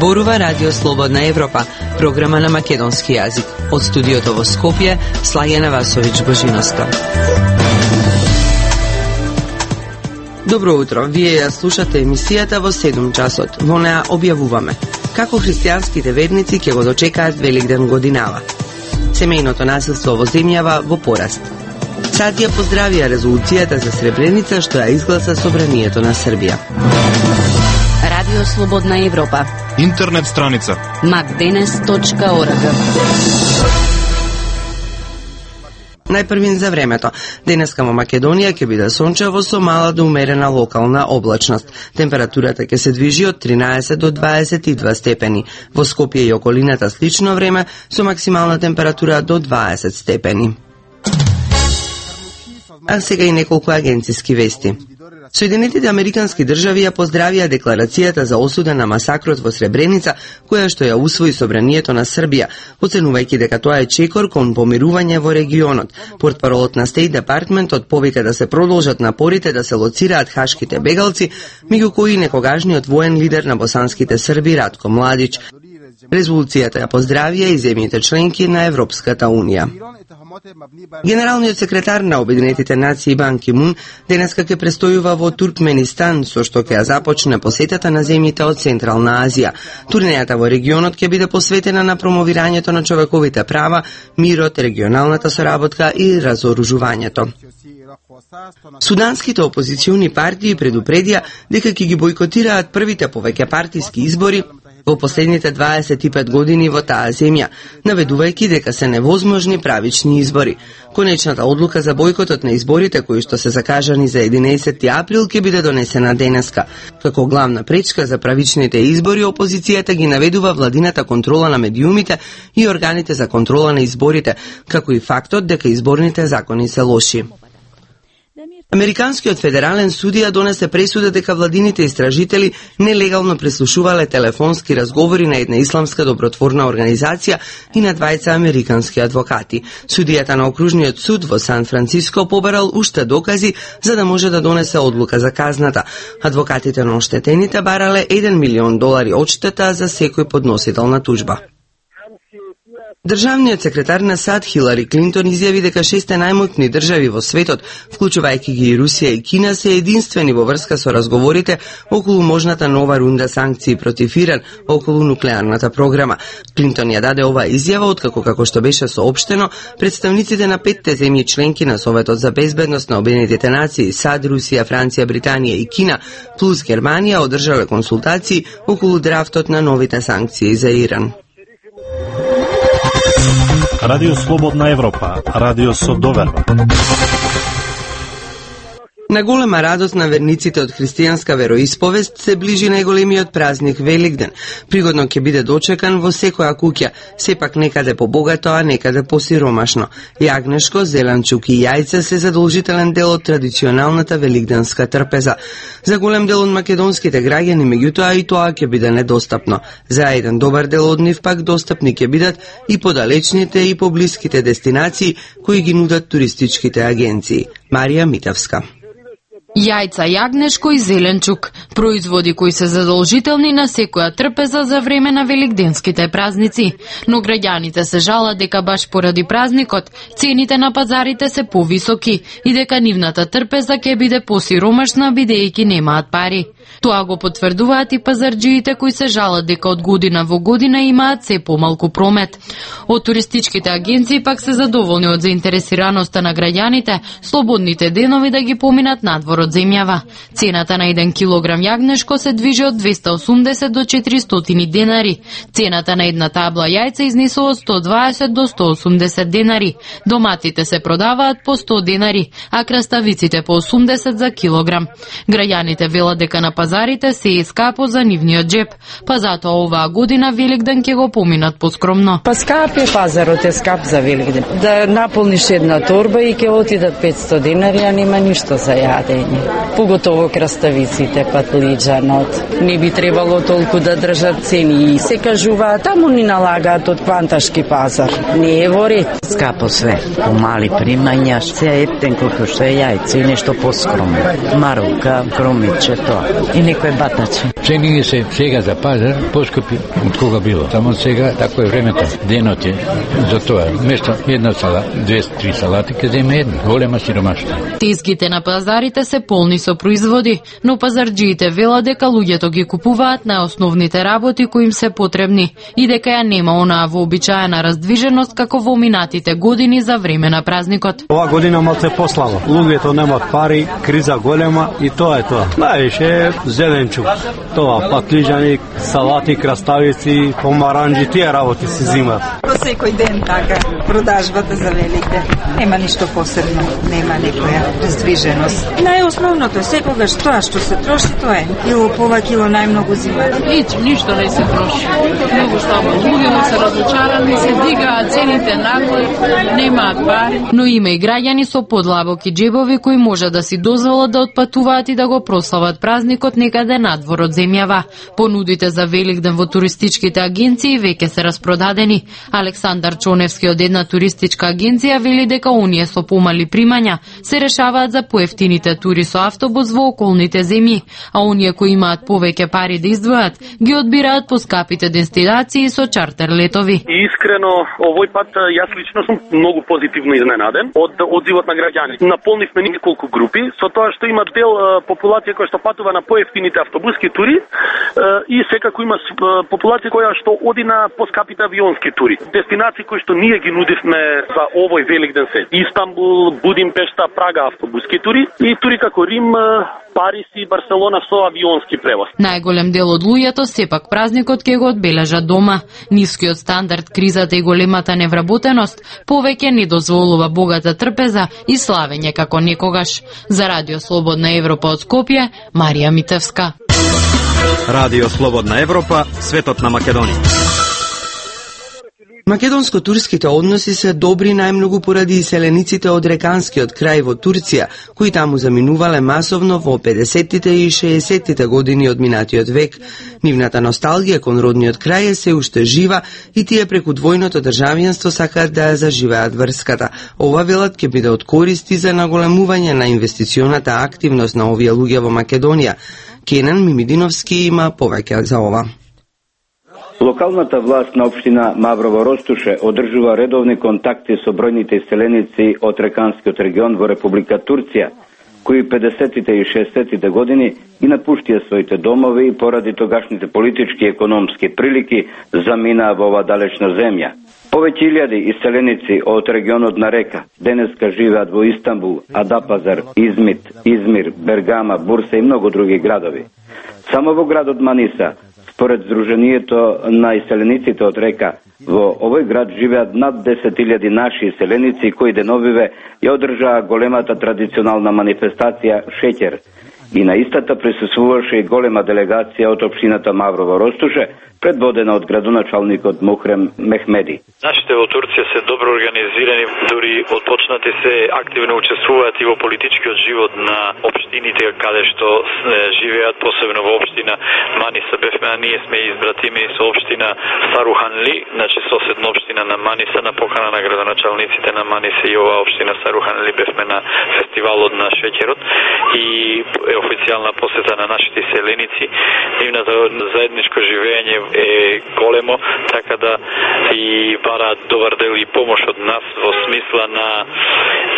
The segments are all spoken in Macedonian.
Зборува Радио Слободна Европа, програма на македонски јазик. Од студиото во Скопје, Слајена Васовиќ Божиноста. Добро утро, вие ја слушате емисијата во 7 часот. Во неа објавуваме како христијанските верници ќе го дочекаат Великден годинава. Семејното насилство во земјава во пораст. САД ја поздравија резолуцијата за Сребреница што ја изгласа Собранието на Србија. Радио Слободна Европа. Интернет страница macdenes.org. Најпрвин за времето. Денеска во Македонија ќе биде сончево со мала до умерена локална облачност. Температурата ќе се движи од 13 до 22 степени. Во Скопје и околината слично време со максимална температура до 20 степени. А сега и неколку агенциски вести. Соединетите американски држави ја поздравија декларацијата за осуда на масакрот во Сребреница, која што ја усвои Собранието на Србија, оценувајќи дека тоа е чекор кон помирување во регионот. Портпаролот на Стейт Департментот повика да се продолжат напорите да се лоцираат хашките бегалци, меѓу кои некогашниот воен лидер на босанските Срби Ратко Младич. Резолуцијата ја поздравија и земјите членки на Европската Унија. Генералниот секретар на Обединетите нации Бан Ки Мун денеска ќе престојува во Туркменистан, со што ќе ја започне посетата на земјите од Централна Азија. Турнејата во регионот ќе биде посветена на промовирањето на човековите права, мирот, регионалната соработка и разоружувањето. Суданските опозициони партии предупредија дека ќе ги бойкотираат првите повеќе партиски избори во последните 25 години во таа земја, наведувајќи дека се невозможни правични избори. Конечната одлука за бойкотот на изборите, кои што се закажани за 11 април, ќе биде донесена денеска. Како главна пречка за правичните избори, опозицијата ги наведува владината контрола на медиумите и органите за контрола на изборите, како и фактот дека изборните закони се лоши. Американскиот федерален судија донесе пресуда дека владините истражители нелегално преслушувале телефонски разговори на една исламска добротворна организација и на двајца американски адвокати. Судијата на окружниот суд во Сан Франциско побарал уште докази за да може да донесе одлука за казната. Адвокатите на оштетените барале $1 милион одштета за секој подносител на тужба. Државниот секретар на САД Хилари Клинтон изјави дека 6 најмоćни држави во светот, вклучувајќи ги и Русија и Кина, се единствени во врска со разговорите околу можната нова рунда санкции против Иран околу нуклеарната програма. Клинтон ја даде оваа изјава откако, како што беше соопштено, представниците на 5 земји членки на Советот за безбедност на Обединетите нации, САД, Русија, Франција, Британија и Кина, плюс Германија, одржале консултации околу драфтот на новите санкции за Иран. Радио Слободна Европа, радио со доверба. На голема радост на верниците од христијанска вероисповест се ближи најголемиот празник Великден. Пригодно ќе биде дочекан во секоја куќа, сепак некаде побогато, а некаде посиромашно. Јагнешко, зеленчук и јајца се задолжителен дел од традиционалната великденска трпеза. За голем дел од македонските граѓани, меѓутоа и тоа ќе биде недостапно. За еден добар дел од нив пак достапни ќе бидат и подалечните и поблиските дестинации кои ги нудат туристичките агенции. Марија Митевска. Јајца, јагнешко и зеленчук, производи кои се задолжителни на секоја трпеза за време на великденските празници. Но граѓаните се жалат дека баш поради празникот цените на пазарите се повисоки и дека нивната трпеза ќе биде посиромашна бидејќи немаат пари. Тоа го потврдуваат и пазарџиите кои се жалат дека од година во година имаат се помалку промет. Од туристичките агенции пак се задоволни од заинтересираноста на граѓаните слободните денови да ги поминат надвор од земјава. Цената на 1 килограм јагнешко се движи од 280 до 400 денари. Цената на една табла јајца изнесува од 120 до 180 денари. Доматите се продаваат по 100 денари, а краставиците по 80 за килограм. Граѓаните велат дека на пазарите се е скапо за нивниот джеп, па затоа оваа година Великден ќе го поминат поскромно. Па скап е пазарот, е скап за Великден. Да наполниш една торба и ќе отидат 500 денари, а нема ништо за јадење. Поготово краставиците, патлиџанот. Не би требало толку да држат цени и се кажуваат, таму ни налагаат од кванташки пазар. Не е во ред. Скапо све, по мали примања, се еттен колку што е јајце и нешто поскромно. Марука, кромиче, тоа. и некој батачи. Ценини се сега за пазар поскапи од кога било. Само сега тако е времето. Денот е за тоа. Место една сала, 2-3 салати, ке земе една. Голема сиромаштва. Тезгите на пазарите се полни со производи, но пазарџиите велат дека луѓето ги купуваат најосновните работи кои им се потребни и дека ја нема онаа вообичаена раздвиженост како во минатите години за време на празникот. Ова година малце пославо. Луѓето немаат пари, криза голема и тоа е тоа. Највише зеленчук. Тоа патлиџани, салати, краставици, помаранџи, тие работи се зимат. По секој ден така продажбата за Великден. Нема ништо посебно, нема некоја раздвиженост. Најосновното е секогаш тоа што се троши, тоа е. Кило повеќе, најмногу зимат. Ништо не се троши. Многу слабо. Луѓето се разочарани, се дигаат цените нагло, немаат пари. Но има и граѓани со подлабоки џебови кои може да си дозволат да отпатуваат и да го прослават празникот некаде надвор од земјава. Понудите за Великден во туристичките агенции веќе се распродадени. Александар Чоневски од една туристичка агенција вели дека оние со помали примања се решаваат за поевтините тури со автобус во околните земји, а оние кои имаат повеќе пари да издвојат, ги одбираат поскапите дестинации со чартер летови. Искрено, овој пат јас лично сум многу позитивно изненаден од одзивот на граѓани. Наполнивме неколку групи со тоа што има дел популација која што патува на поевтините автобуски тури и секако има популација која што оди на поскапите авионски тури. Дестинации кои што ние ги нудивме за овој Великден се. Истанбул, Будимпешта, Прага автобуски тури и тури како Рим, Париз и Барселона со авионски превоз. Најголем дел од луѓето сепак празникот ќе го одбележат дома. Нискиот стандард, кризата и големата невработеност повеќе не дозволува богата трпеза и славење како некогаш. За Радио Слободна Европа од Скопје, Марија Митевска. Радио Слободна Европа, светот на Македонија. Македонско-турските односи се добри најмногу поради иселениците од реканскиот крај во Турција, кои таму заминувале масовно во 50-тите и 60-тите години од минатиот век. Нивната носталгија кон родниот крај е се уште жива и тие преку двојното државјанство сакаат да ја заживеат врската. Ова велат ќе биде од користи за наголемување на инвестиционата активност на овие луѓе во Македонија. Кенан Мимидиновски има повеќе за ова. Локалната власт на општина Маврово Ростуше одржува редовни контакти со бројните иселеници од реканскиот регион во Република Турција, кои 50-тите и 60-тите години ги напуштија своите домови и поради тогашните политички и економски прилики заминаа во ова далечна земја. Повеќе илјади иселеници од регионот на Река денеска живеат во Истанбул, Адапазар, Измит, Измир, Бергама, Бурса и многу други градови. Само во градот Маниса, според Сдруженијето на иселениците од Река, во овој град живеат над 10.000 наши иселеници кои деновиве ја одржаа големата традиционална манифестација Шеќер. И на истата присуствуваше и голема делегација од општината Маврово Ростуше, предводена од градоначалникот Мухрем Мехмеди. Нашите во Турција се добро организирани, дури отпочнати се активно учествуваат и во политичкиот живот на општините каде што живеат, посебно во општина Маниса. Бевме, ние сме избратими со општина Саруханли, значи соседна општина на Маниса, на покана на градоначалниците на Маниса и оваа општина Саруханли бевме на фестивалот на Шеќерот и официјална посета на нашите иселеници. Нивното заедничко живење е големо, така да и бараат добар дел и помош од нас во смисла на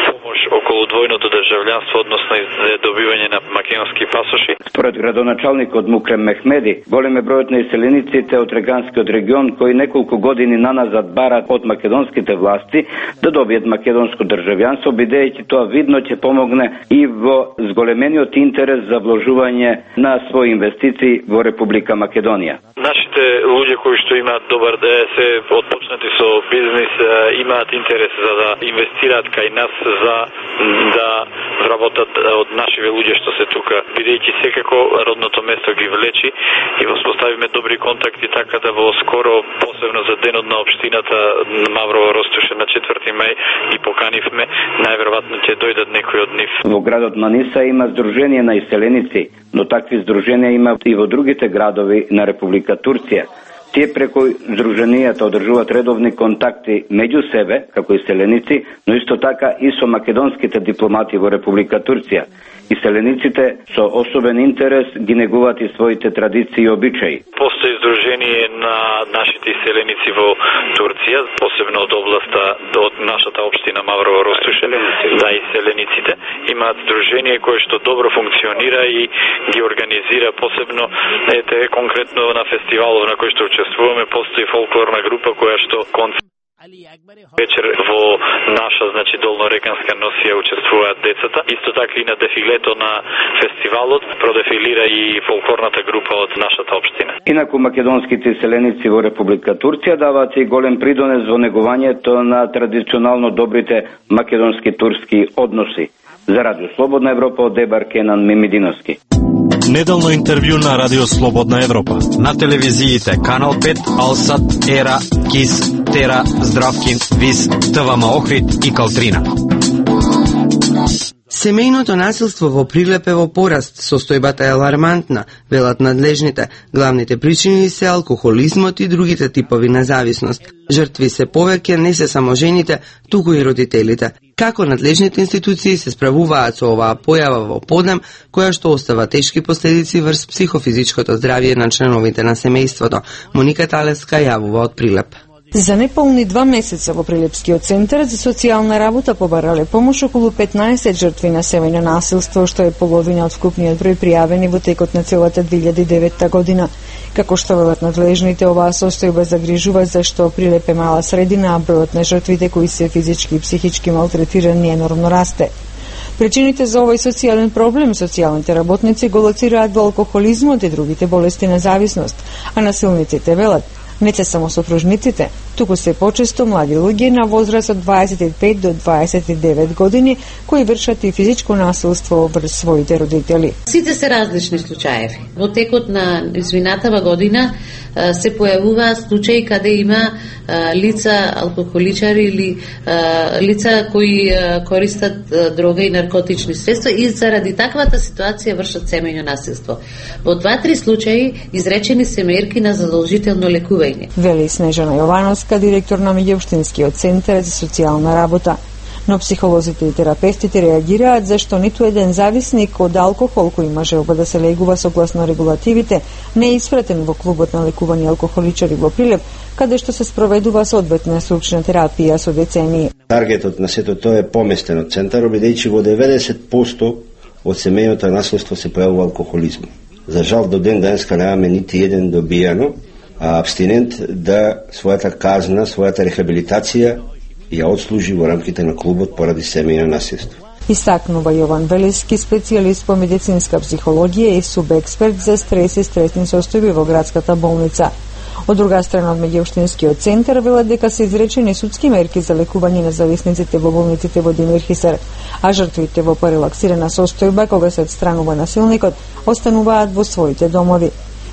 помош околу двојното државјанство, односно добивање на македонски пасоши. Според градоначалникот Мукрем Мехмеди, голем е бројот на иселениците од реганскиот регион кои неколку години наназад бараат од македонските власти да добијат македонско државјанство, бидејќи тоа видно ќе помогне и во зголемениот интерес за вложување на своји инвестиции во Република Македонија. Нашите луѓе кои што имаат добар се отпочнати со бизнис, имаат интерес за да инвестираат кај нас за да вработат од нашиве луѓе што се тука, бидејќи секако родното место ги влечи и воспоставиме добри контакти, така да во скоро, посебно за денот на општината Маврово Ростуше на 4 мај ги поканивме, најверојатно ќе дојдат некои од нив. Во градот Маниса има здружение на иселеници, но такви здруженија има и во другите градови на Република Турција. Тие преку здруженијата одржуваат редовни контакти меѓу себе, како иселеници, но исто така и со македонските дипломати во Република Турција. Иселениците со особен интерес ги негуваат и своите традиции и обичаи. Постои здружение на нашите иселеници во Турција, посебно од областа од нашата општина Маврово Ростуше, да иселениците имаат здружение кое што добро функционира и ги организира посебно конкретно на фестивалов на кој што учествуваме, постои фолклорна група која што вечер во наша, долнореканска носија учествуваат децата. Исто така и на дефилето на фестивалот продефилира и фолклорната група од нашата општина. Инаку македонските иселеници во Република Турција даваат и голем придонес во негувањето на традиционално добрите македонски-турски односи. За Радио Слободна Европа од Дебар Кенан Мимидиновски. Неделно интервју на Радио Слободна Европа. На телевизиите Канал 5, Алсат, Ера, Кис, Тера, Здравкин, Вис, ТВМ Охрид и Калтрина. Семејното насилство во Прилеп е во пораст, состојбата е алармантна, велат надлежните. Главните причини се алкохолизмот и другите типови на зависност. Жртви се повеќе не се само жените, туку и родителите. Како надлежните институции се справуваат со оваа појава во подем, која што остава тешки последици врз психофизичкото здравје на членовите на семејството? Моника Талеска јавува од Прилеп. За неполни 2 месеца во Прилепскиот центар за социјална работа побарале помош околу 15 жртви на семејно насилство, што е половина од вкупниот број пријавени во текот на целата 2009 година. Како што велат надлежните, оваа состојба загрижува зашто Прилеп е мала средина, а бројот на жртвите кои се физички и психички малтретирани енормно расте. Причините за овој социјален проблем социјалните работници го лоцираат во алкохолизмот и другите болести на зависност, а насилниците велат не се само сопружниците, туку се почесто млади луѓе на возраст од 25 до 29 години кои вршат и физичко насилство врз своите родители. Сите се различни случаеви. Во текот на изминатава година се појавуваат случаи каде има лица алкохоличари или лица кои користат дрога и наркотични средства и заради таквата ситуација вршат семејно насилство. Во 2-3 случаи изречени се мерки на задолжително лекување. Вели Снежана Јовановска, директор на Меѓуопштинскиот центар за социјална работа. Но психолозите и терапевтите реагираат зашто ниту еден зависник од алкохол кој има желба да се легува согласно регулативите не е испратен во клубот на лекувани алкохоличари во Прилеп, каде што се спроведува соодветна стручна терапија со децении. Таргетот на сето тоа е поместен од центарот, бидејќи во 90% од семејното насилство се појавува алкохолизм. За жал до ден денеска немаме нити еден добијано абстинент да својата казна, својата рехабилитација ја отслужи во рамките на клубот поради семејно насилство. Истакнува Јован Велески, специјалист по медицинска психологија и субексперт за стрес и стресни состојби во градската болница. Од друга страна, од Меѓуопштинскиот центар велат дека се изречени судски мерки за лекување на зависниците во болниците во Димир Хисар, а жртвите во порелаксирана состојба кога се отстранува насилникот остануваат во своите домови.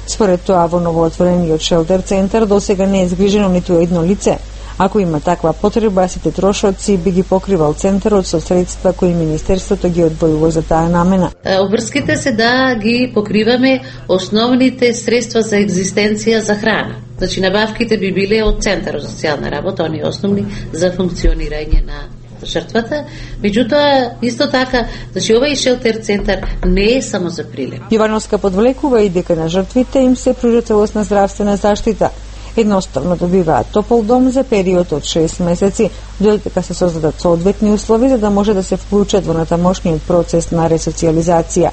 Според тоа, во новоотворениот шелтер центар досега не е згрижено ниту едно лице. Ако има таква потреба, сите трошоци би ги покривал центарот со средства кои министерството ги одвојува за таа намена. Обврските се да ги покриваме основните средства за екзистенција за храна. Значи, набавките би биле од центарот за социјална работа, они основни за функционирање на жртвата. Меѓутоа, исто така, значи овој шелтер центар не е само за Прилеп. Јовановска подвлекува и дека на жртвите им се пружа целосна здравствена заштита. Едноставно добиваат топол дом за период од 6 месеци, додека се создадат соодветни услови за да може да се вклучат во натамошниот процес на ресоциализација.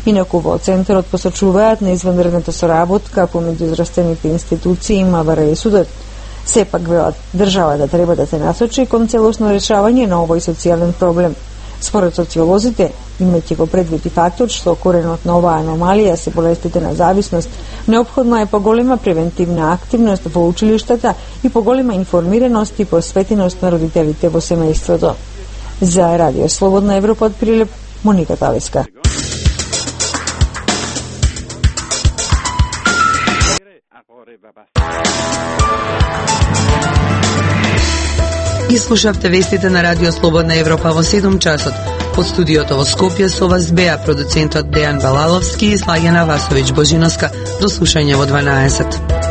Инаку во центарот посочуваат на изванредната соработка помеѓу здравствените институции и МВР и судот. Сепак велат, државата треба да се насочи кон целосно решавање на овој социјален проблем. Според социолозите, имајќи го предвид и фактот што коренот на оваа аномалија се болестите на зависност, неопходна е поголема превентивна активност во училиштата и поголема информираност и посветеност на родителите во семејството. За Радио Слободна Европа од Прилеп, Моника Талеска. Ги слушавте вестите на Радио Слободна Европа во 7 часот. Од студиото во Скопје со вас беа продуцентот Дејан Балаловски и Слагена Васовиќ Божиновска. До слушање во 12.